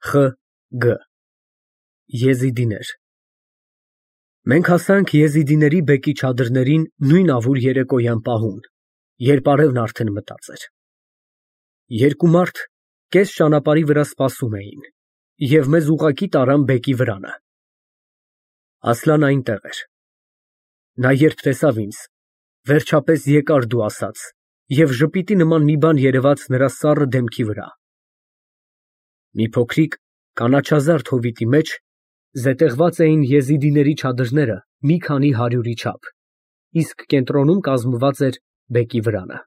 Գ Եզիդիներ Մենք հասանք եզիդիների բեկի չադրներին նույն ավուր երեկոյան պահուն, երբ արևն արդեն մտած էր։ Երկու մարդ կես ճանապարհի վրա սպասում էին և մեզ ուղղակի տարան բեկի վրանը։ Ասլան այնտեղ էր։ Նա երբ տեսավ ինձ, վերջապես եկար դու ասաց և ժպիտի նման մի բան երևաց նրա սառը դեմքի վրա։ Մի փոքրիկ կանաչազարդ հովիտի մեջ զետեղված էին եզիդիների չադրները մի քանի հարյուրի չափ, իսկ կենտրոնում կազմված էր բեկի վրանը։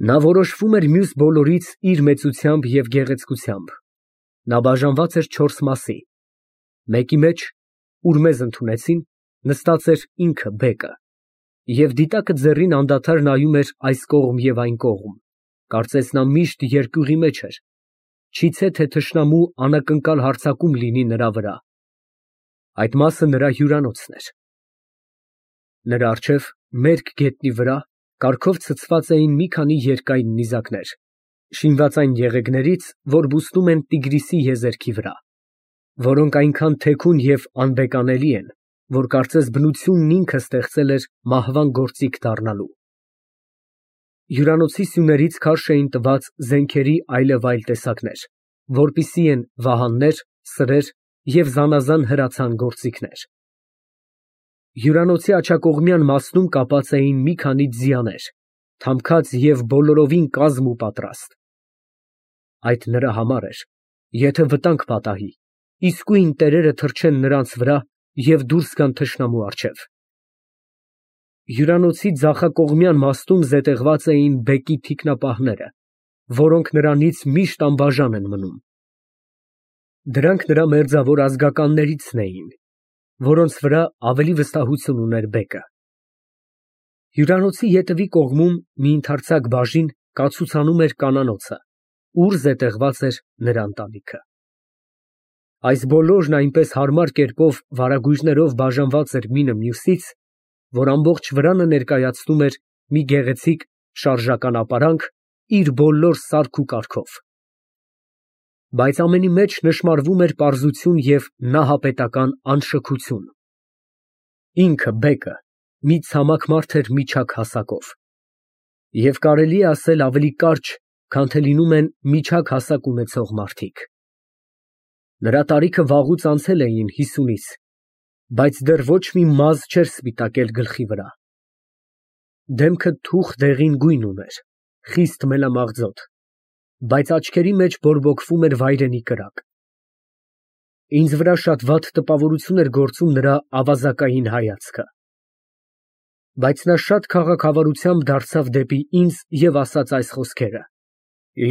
Նա որոշվում էր մյուս բոլորից իր մեծությամբ և գեղեցկությամբ։ Նա բաժանված էր 4 մասի, մեկի մեջ, ուր մեզ ընդունեցին, նստած էր ինքը բեկը, և դիտակը ձեռին անդադար նայում էր այս կողմ և այն կողմ, կարծես նա միշտ երկյուղի մեջ էր, չիցե թե թշնամու անակնկալ հարձակում լինի նրա վրա։ Այդ մասը նրա հյուրանոցն էր։ Նրա առջև, մերկ գետնի վրա, կարգով ցցված էին մի քանի երկայն նիզակներ, շինված այն եղեգներից, որ բուսնում են Տիգրիսի եզերքի վրա, որոնք այնքան թեքուն և անբեկանելի են, որ կարծես բնությունն ինքը ստեղծել էր մահվան գործիք դառնալու։ Հյուրանոցի սյուներից քարշ էին տված զենքերի այլևայլ տեսակներ, որպիսի են վահաններ, սրեր և զանազան հրացան գործիքներ։ Հյուրանոցի աջակողմյան մասնում կապած էին մի քանի ձիաներ, թամքած և բոլորովին կազմ ու պատրաստ։ Այդ նրա համար էր, եթե վտանգ պատահի, իսկույն տերերը թռչեն նրանց վրա և դուրս գան թշնամու առջև։ Հյուրանոցի ձախակողմյան մասնում զետեղված էին բեկի թիկնապահները, որոնք նրանից միշտ անբաժան են մնում։ Դրանք նրա մերձավոր ազգականներիցն էին, որոնց վրա ավելի վստահություն ուներ բեկը։ Հյուրանոցի ետևի կողմում մի ընդարձակ բաժին կացուցանում էր կանանոցը, ուր զետեղված էր նրա ընտանիքը։ Այս բոլորն այնպես հարմար կերպով վարագույրներով բաժանված էր մինը մյուսից, որ ամբողջ վրանը ներկայացնում էր մի գեղեցիկ շարժական ապարանք իր բոլոր սարք ու կարգով։ Բայց ամենի մեջ նշմարվում էր պարզություն և նահապետական անշքություն։ Ինքը բեկը մի ցամաք մարդ էր միջակ հասակով, և կարելի է ասել ավելի կարճ, քան թե լինում են միջակ հասակ ունեցող մարդիկ։ Նրա տարիքը վաղուց անցել էին 50-ից, բայց դեռ ոչ մի մազ չէր սպիտակել գլխի վրա։ Դեմքը թուխ դեղին գույն ուներ, խիստ մելամաղձոտ, բայց աչքերի մեջ բորբոքվում էր վայրենի կրակ։ Ինձ վրա շատ վատ տպավորություն էր գործում նրա ավազակային հայացքը։ Բայց նա շատ քաղաքավարությամբ դարձավ դեպի ինձ և ասաց այս խոսքերը.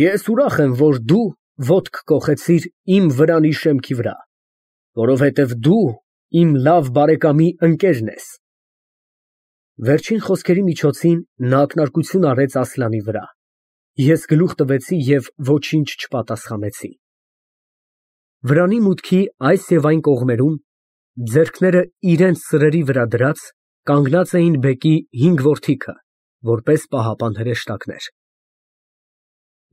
«Ես ուրախ եմ, որ դու ոտք կոխեցիր իմ վրանի շեմքի վրա, որովհետև դու իմ լավ բարեկամի ընկերն ես»։ Վերջին խոսքերի միջոցին նա ակնարկություն արեց Ասլանի վրա։ Ես գլուխ տվեցի և ոչինչ չպատասխանեցի։ Վրանի մուտքի այս և այն կողմերում, ձեռքները իրենց սրերի վրա դրած, կանգնած էին բեկի 5 որդիքը, որպես պահապան հրեշտակներ։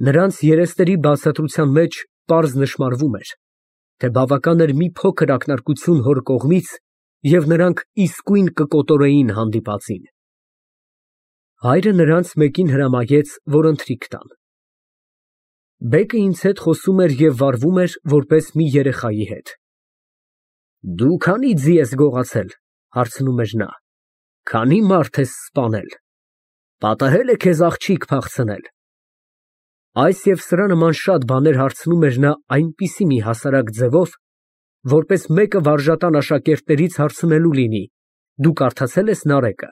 Նրանց երեսների բացատրության մեջ պարզ նշմարվում էր, թե բավական էր մի փոքր ակնարկություն հոր կողմից, և նրանք իսկույն կկոտորեին հանդիպածին։ Հայրը նրանց մեկին հրամայեց, որ ընթրիք տան։ Բեկը ինձ հետ խոսում էր և վարվում էր որպես մի երեխայի հետ։ «Դու քանի՞ ձի ես գողացել, ֊ հարցնում էր նա, ֊ քանի՞ մարդ ես սպանել, պատահե՞լ է քեզ աղջիկ փախցնել»։ Այս և սրա նման շատ բաներ հարցնում էր նա այնպիսի մի հասարակ ձևով, որպես մեկը վարժատան աշակերտներից հարցնելու լինի. «Դու կարդացե՞լ ես Նարեկը»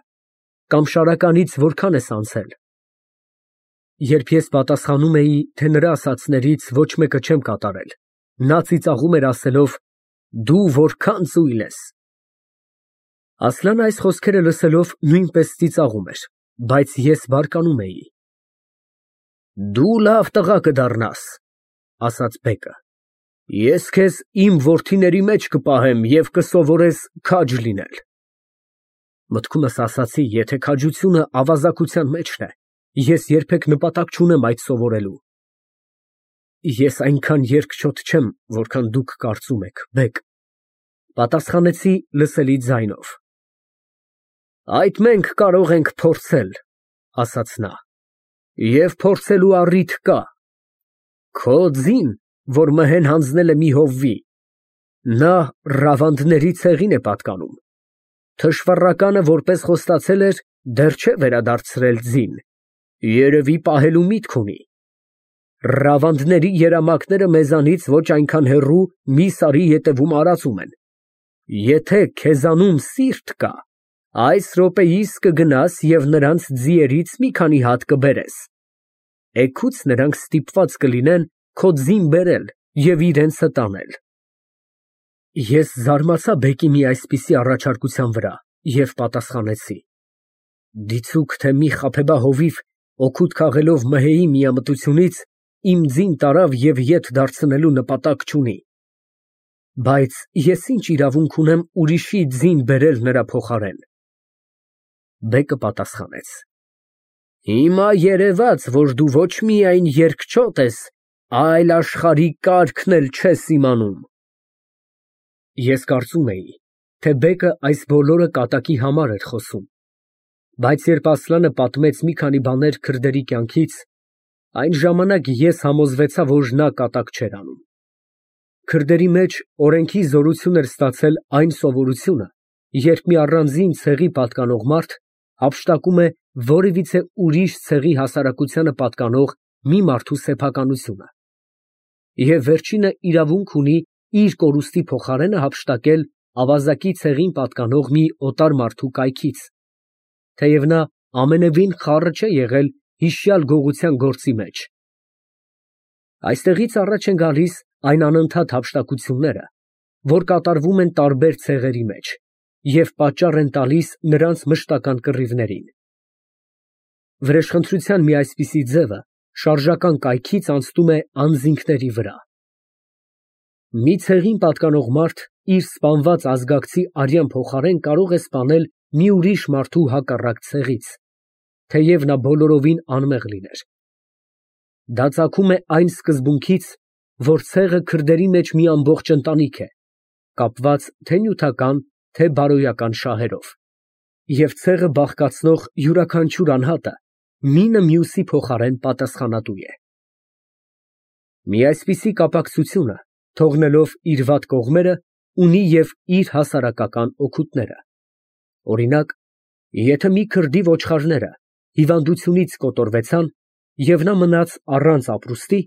կամ «Շարականից որքան ես անցել»։ Երբ ես պատասխանում էի, թե նրա ասածներից ոչ մեկը չեմ կատարել, նա ծիծաղում էր ասելով. «Դու որքան ծույլ ես»։ Ասլանը այս խոսքերը լսելով նույնպես ծիծաղում էր, բայց ես բարկանում էի։ «Դու լավ տղա կդառնաս, ֊ ասաց բեկը, ֊ ես քեզ իմ որդիների մեջ կպահեմ և կսովորես քաջ լինել»։ Մտքումս ասացի, եթե քաջությունը ավազակության մեջն է, ես երբեք նպատակ չունեմ այդ սովորելու։ Ես այնքան երկչոտ չեմ, որքան դուք կարծում եք, բեգ, պատասխանեցի լսելի ձայնով։ Այդ մենք կարող ենք փորձել, ասաց նա, և փորձելու առիթ կա։ Քո ձին, որ մհեն հանձնել է մի հովվի, նա Ռավանդների ցեղին է պատկանում, թշվառականը, որպես խոստացել էր, դեռ չէ վերադարձրել ձին, երևի պահելու միտք ունի։ Ռավանդների երամակները մեզանից ոչ այնքան հեռու մի սարի ետևում արածում են։ Եթե քեզանում սիրտ կա, այս րոպեիս կգնաս և նրանց ձիերից մի քանի հատ կբերես։ Էգուց նրանք ստիպված կլինեն քո ձին բերել և իրենցը տանել։ Ես զարմացա բեկի մի այսպիսի առաջարկության վրա և պատասխանեցի. Դիցուք, թե մի խաբեբա հովիվ օգուտ քաղելով մհեի միամտությունից իմ ձին տարավ և ետ դարձնելու նպատակ չունի։ Բայց ես ինչ իրավունք ունեմ ուրիշի ձին բերել նրա փոխարեն։ Բեկը պատասխանեց. Հիմա երևաց, որ դու ոչ միայն երկչոտ ես, այլ աշխարհի կարգն էլ չես իմանում։ Ես կարծում էի, թե բեկը այս բոլորը կատակի համար էր խոսում, բայց երբ Ասլանը պատմեց մի քանի բաներ քրդերի կյանքից, այն ժամանակ ես համոզվեցա, որ նա կատակ չէր անում։ Քրդերի մեջ օրենքի զորություն էր ստացել այն սովորությունը, երբ մի առանձին ցեղի պատկանող մարդ հափշտակում է որևիցե ուրիշ ցեղի հասարակությանը պատկանող մի մարդու սեփականությունը, և վերջինը իրավունք ունի իր կորուստի փոխարենը հափշտակել ավազակի ցեղին պատկանող մի օտար մարդու կայքից, թեև նա ամենևին խառը չէ եղել հիշյալ գողության գործի մեջ։ Այստեղից առաջ են գալիս այն անընդհատ հափշտակությունները, որ կատարվում են տարբեր ցեղերի մեջ և պատճառ են տալիս նրանց մշտական կռիվներին։ Վրեժխնդրության մի այսպիսի ձևը շարժական կայքից անցնում է անձինքների վրա։ Մի ցեղին պատկանող մարդ իր սպանված ազգակցի արյան փոխարեն կարող է սպանել մի ուրիշ մարդու հակառակ ցեղից, թեև նա բոլորովին անմեղ լիներ։ Դա ծագում է այն սկզբունքից, որ ցեղը քրդերի մեջ մի ամբողջ ընտանիք է, կապված թե նյութական, թե բարոյական շահերով, և ցեղը բաղկացնող յուրաքանչյուր անհատը մինը մյուսի փոխարեն պատասխանատու է։ Մի այսպիսի կապակցությունը, թողնելով իր վատ կողմերը, ունի և իր հասարակական օգուտները։ Օրինակ, եթե մի քրդի ոչխարները հիվանդությունից կոտորվեցան, և նա մնաց առանց ապրուստի,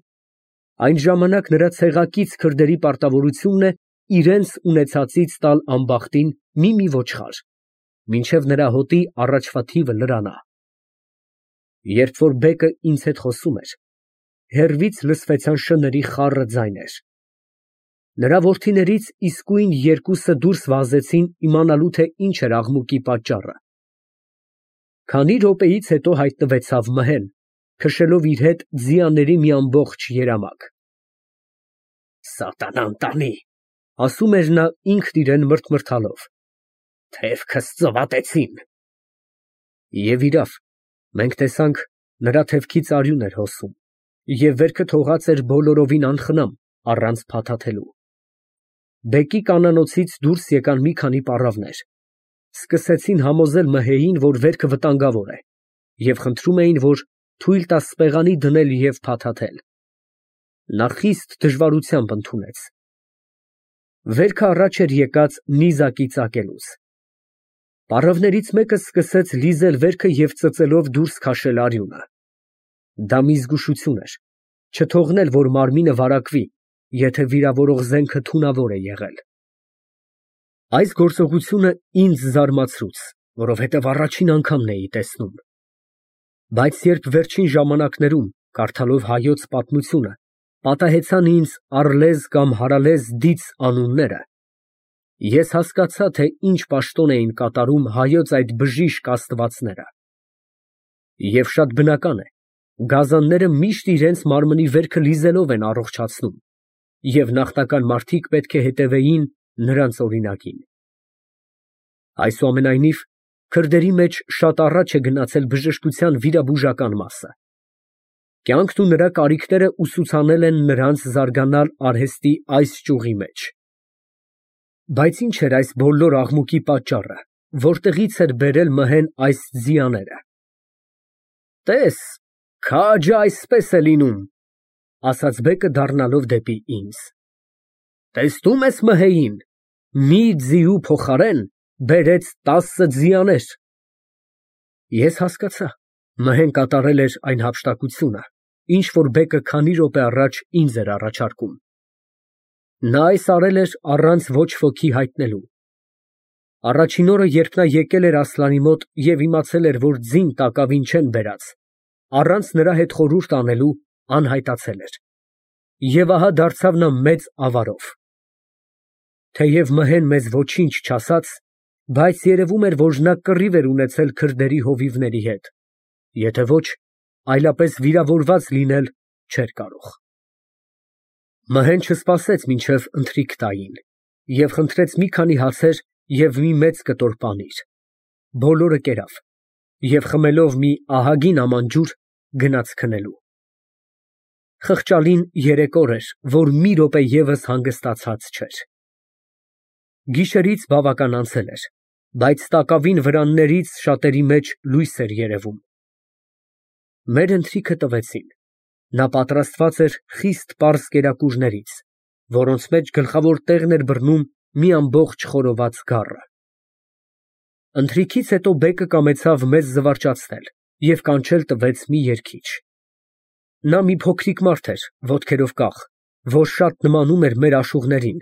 այն ժամանակ նրա ցեղակից քրդերի պարտավորությունն է իրենց ունեցածից տալ ամբախտին մի ոչխար, մինչև նրա հոտի առաջվա թիվը լրանա։ Երբ որ բեկը ինձ հետ խոսում էր, հեռվից լսվեցան շների խառը ձայներ։ Նրա որդիներից իսկույն երկուսը դուրս վազեցին իմանալու, թե ինչ էր աղմուկի պատճառը։ Քանի րոպեից հետո հայտնվեցավ մհեն, քշելով իր հետ ձիաների մի ամբողջ երամակ։ Սատանան տանի, ասում էր նա ինքն իրան մրթմրթալով, թևքս ծվատեցին։ Եվ իրավ, մենք տեսանք, նրա թևքից արյուն էր հոսում, և վերքը թողած էր բոլորովին անխնամ, առանց փաթաթելու։ Բեկի կանանոցից դուրս եկան մի քանի պառավներ, սկսեցին համոզել մհեին, որ վերքը վտանգավոր է, և խնդրում էին, որ թույլ տա սպեղանի դնել և փաթաթել։ Նա խիստ դժվարությամբ ընդունեց։ Վերքը առաջ էր եկած նիզակի ծակելուց։ Պառավներից մեկը սկսեց լիզել վերքը և ծծելով դուրս քաշել արյունը։ Դա մի զգուշություն էր, չթողնել, որ մարմինը վարակվի, եթե վիրավորող զենքը թունավոր է եղել։ Այս գործողությունը ինձ զարմացրուց, որովհետև առաջին անգամն էի տեսնում։ Բայց երբ վերջին ժամանակներում, կարդալով Հայոց պատմությունը, պատահեցան ինձ Առլեզ կամ Հարալեզ դիծ անունները, ես հասկացա, թե ինչ պաշտոն էին կատարում Հայոց այդ բժիշկ աստվածները։ Եվ շատ բնական է, գազանները միշտ իրենց մարմնի վերքը լիզելով են առողջացնում, և նախնական մարդիկ պետք է հետևեին նրանց օրինակին։ Այսուամենայնիվ, քրդերի մեջ շատ առաջ է գնացել բժշկության վիրաբուժական մասը։ Կյանքն ու նրա կարիքները ուսուցանել են նրանց զարգանալ արհեստի այս ճյուղի մեջ։ Բայց ինչ էր այս բոլոր աղմուկի պատճառը, որտեղից էր բերել Մհեն այս ձիաները։ Տես, քաջը այսպես է լինում, ասաց բեկը դառնալով դեպի ինձ։ Տեսնում ես Մհեին, մի ձիու փոխարեն բերեց 10 ձիաներ։ Ես հասկացա, Մհեն կատարել էր այն հափշտակությունը, ինչ որ բեկը քանի րոպե առաջ ինձ էր առաջարկում։ Նա այս արել էր առանց ոչ ոքի հայտնելու։ Առաջին օրը, երբ նա եկել էր Ասլանի մոտ և իմացել էր, որ ձին տակավին չեն բերած, առանց նրա հետ խորհուրդ անելու անհայտացել էր։ Եվ ահա դարձավ նա մեծ ավարով։ Թեև Մհեն մեզ ոչինչ չասաց, բայց երևում էր, որ նա կռիվ էր ունեցել քրդերի հովիվների հետ, եթե ոչ, այլապես վիրավորված լինել չէր կարող։ Մհեն չսպասեց մինչև ընթրիք տային և խնդրեց մի քանի հացեր և մի մեծ կտոր պանիր, բոլորը կերավ և խմելով մի ահագին աման ջուր, գնաց քնելու։ Խղճալին 3 օր էր, որ մի րոպե ևս հանգստացած չէր։ Գիշերից բավական անցել էր, բայց տակավին վրաններից շատերի մեջ լույս էր երևում։ Մեր ընթրիքը տվեցին։ Նա պատրաստված էր խիստ պարզ կերակուրներից, որոնց մեջ գլխավոր տեղն էր բռնում մի ամբողջ խորոված գառը։ Ընթրիքից հետո բեկը կամեցավ մեզ զվարճացնել և կանչել տվեց մի երգիչ։ Նա մի փոքրիկ մարդ էր, ոտքերով կախ, որ շատ նմանում էր մեր աշուղներին,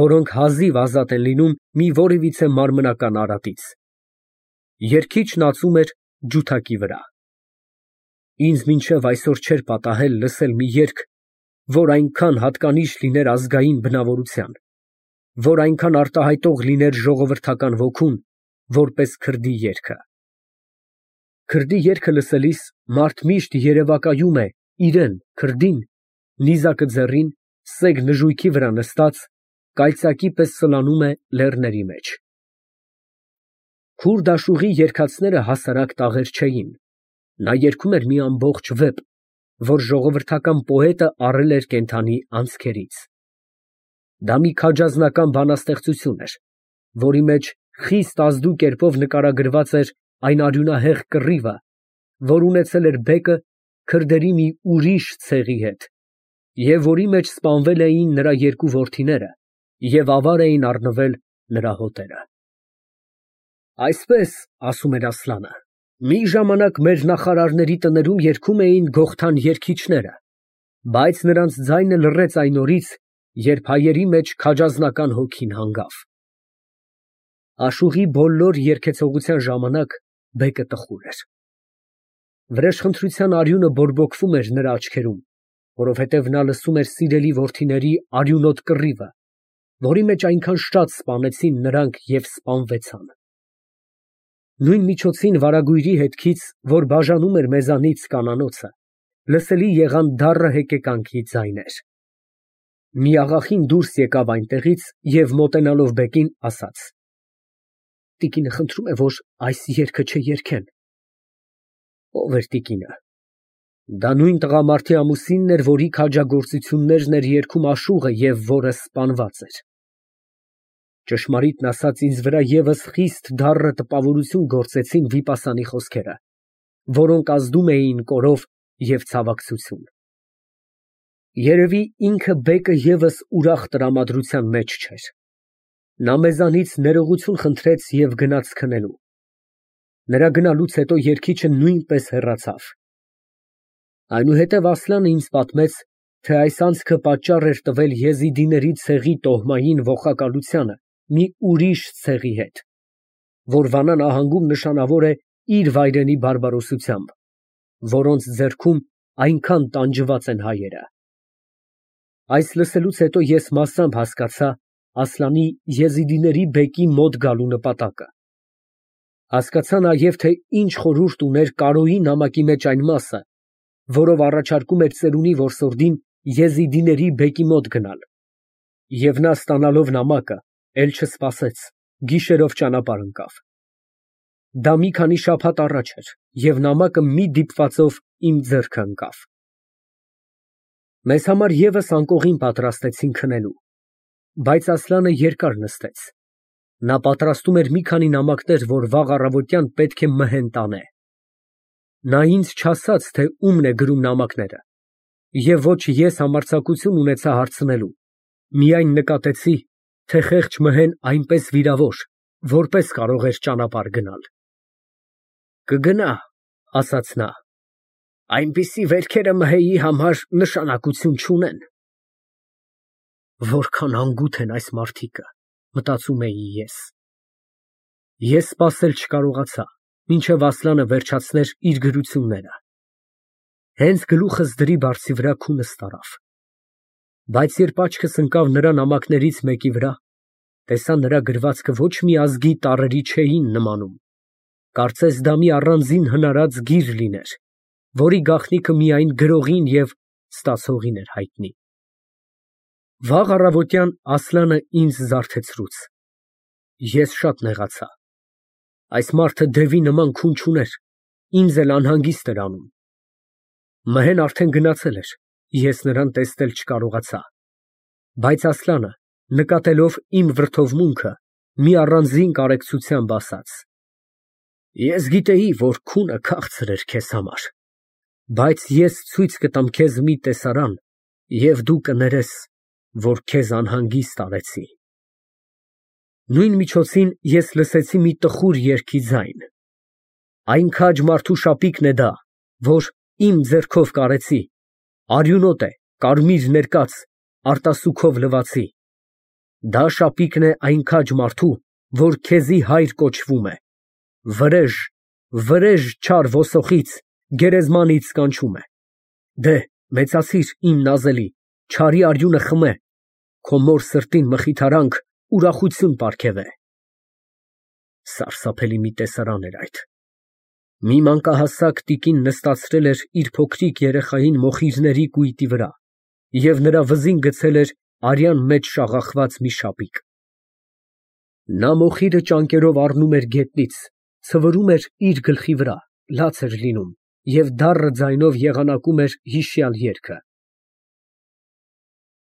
որոնք հազիվ ազատ են լինում մի որևիցե մարմնական արատից։ Երգիչն ածում էր ջութակի վրա։ Ինձ մինչև այսօր չէր պատահել լսել մի երգ, որ այնքան հատկանիշ լիներ ազգային բնավորության, որ այնքան արտահայտող լիներ ժողովրդական ոգուն, որպես քրդի երգը։ Քրդի երգը լսելիս մարդ միշտ երևակայում է իրեն, քրդին, նիզակը ձեռին, սեգ նժույգի վրա նստած, կայծակի պես սլանում է լեռների մեջ։ Քուրդ աշուղի երգացները հասարակ տաղեր չէին։ Նա երգում էր մի ամբողջ վեպ, որ ժողովրդական պոետը առել էր կենդանի անցքերից։ Դա մի քաջազնական բանաստեղծություն էր, որի մեջ խիստ ազդու կերպով նկարագրված էր այն արյունահեղ կռիվը, որ ունեցել էր բեկը քրդերի մի ուրիշ ցեղի հետ, և որի մեջ սպանվել էին նրա 2 որդիները և ավար էին առնվել նրա հոտերը։ Այսպես, ասում էր Ասլանը, մի ժամանակ մեր նախարարների տներում երգում էին գողթան երգիչները, բայց նրանց ձայնը լռեց այն օրից, երբ հայերի մեջ քաջազնական հոգին հանգավ։ Աշուղի բոլոր երգեցողության ժամանակ բեկը տխուր էր։ Վրեժխնդրության արյունը բորբոքվում էր նրա աչքերում, որովհետև նա լսում էր սիրելի որդիների արյունոտ կռիվը, որի մեջ այնքան շատ սպանեցին նրանք և սպանվեցան։ Նույն միջոցին վարագույրի հետքից, որ բաժանում էր մեզանից կանանոցը, լսելի եղան դառը հեկեկանքի ձայներ։ Մի աղախին դուրս եկավ այնտեղից և մոտենալով բեկին, ասաց. Տիկինը խնդրում է, որ այս երգը չերգեն։ Ո՞վ էր տիկինը։ Դա նույն տղամարդի ամուսինն էր, որի քաջագործություններն էր երգում աշուղը և որը սպանված էր։ Ճշմարիտն ասած, ինձ վրա ևս խիստ դառը տպավորություն գործեցին վիպասանի խոսքերը, որոնք ազդում էին կորով և ցավակցություն։ Երևի ինքը բեկը ևս ուրախ տրամադրության մեջ չէր։ Նա մեզանից ներողություն խնդրեց և գնաց քնելու։ Նրա գնալուց հետո երգիչը նույնպես հեռացավ։ Այնուհետև Ասլանը ինձ պատմեց, թե այս անցքը պատճառ էր տվել եզիդիների ցեղի տոհմային ողակալությանը մի ուրիշ ցեղի հետ, որ Վանա նահանգում նշանավոր է իր վայրենի բարբարոսությամբ, որոնց ձեռքում այնքան տանջված են հայերը։ Այս լսելուց հետո ես մասամբ հասկացա Ասլանի եզիդիների բեկի մոտ գալու նպատակը։ Հասկացա նաև, թե ինչ խորհուրդ ուներ Կարոյի նամակի մեջ այն մասը, որով առաջարկում էր ծերունի որսորդին եզիդիների բեկի մոտ գնալ, և նա ստանալով նամակը, էլ չսպասեց, գիշերով ճանապարհ ընկավ։ Դա մի քանի շաբաթ առաջ էր, և նամակը մի դիպվածով իմ ձեռքը ընկավ։ Մեզ համար եւս անկողին պատրաստեցին քնելու, բայց Ասլանը երկար նստեց. նա պատրաստում էր մի քանի նամակներ, որ վաղ առավոտյան պետք է մհեն տանե։ Նա ինձ չասաց, թե ումն է գրում նամակները, և ոչ ես համարձակություն ունեցա հարցնելու, միայն նկատեցի, թե խեղճ մհեն այնպես վիրավոր, որպես կարող էր ճանապարհ գնալ։ «Կգնա», ասաց նա, «այնպիսի վերքերը մհեի համար նշանակություն չունեն»։ Որքան անգութ են այս մարդիկը, մտածում էի ես։ Ես սպասել չկարողացա, մինչև Ասլանը վերջացներ իր գրությունները։ Հենց գլուխս դրի բարձի վրա քունս տարավ։ Բայց երբ աչքս ընկավ նրա նամակներից մեկի վրա, տեսա նրա գրվածքը ոչ մի ազգի տառերի չէին նմանում, կարծես դա մի առանձին հնարած գիր լիներ, որի գաղտնիքը միայն գրողին և ստացողին էր հայտնի։ Վաղ առավոտյան Ասլանը ինձ զարթեցրուց։ Ես շատ նեղացա։ Այս մարդը դևի նման քուն չուներ, ինձ էլ անհանգիստ էր անում։ Մհեն արդեն գնացել էր, ես նրան տեսնել չկարողացա։ Բայց Ասլանը, նկատելով իմ վրդովմունքը, մի առանձին կարեկցությամբ ասաց. «Ես գիտեի, որ քունը քաղցր էր քեզ համար, բայց ես ցույց կտամ քեզ մի տեսարան, և դու կներես, որ քեզ անհանգիստ արեցի»։ Նույն միջոցին ես լսեցի մի տխուր երգի ձայն։ Այն քաջ մարդու շապիկն է դա, որ իմ ձեռքով կարեցի, արյունոտ է, կարմիր ներկած, արտասուքով լվացի։ Դա շապիկն է այն քաջ մարդու, որ քեզի հայր կոչվում է, վրեժ, վրեժ չար ոսոխից, գերեզմանից կանչում է։ Դե, մեծացիր իմ նազելի, չարի արյունը խմե, քո մոր սրտին մխիթարանք, ուրախություն պարգևե։ Սարսափելի մի տեսարան էր այդ։ Մի մանկահասակ տիկին նստացրել էր իր փոքրիկ երեխային մոխիրների կույտի վրա և նրա վզին գցել էր արյան մեջ շաղախված մի շապիկ։ Նա մոխիրը ճանկերով առնում էր գետնից, ցվրում էր իր գլխի վրա, լաց էր լինում և դառն ձայնով եղանակում էր հիշյալ երգը։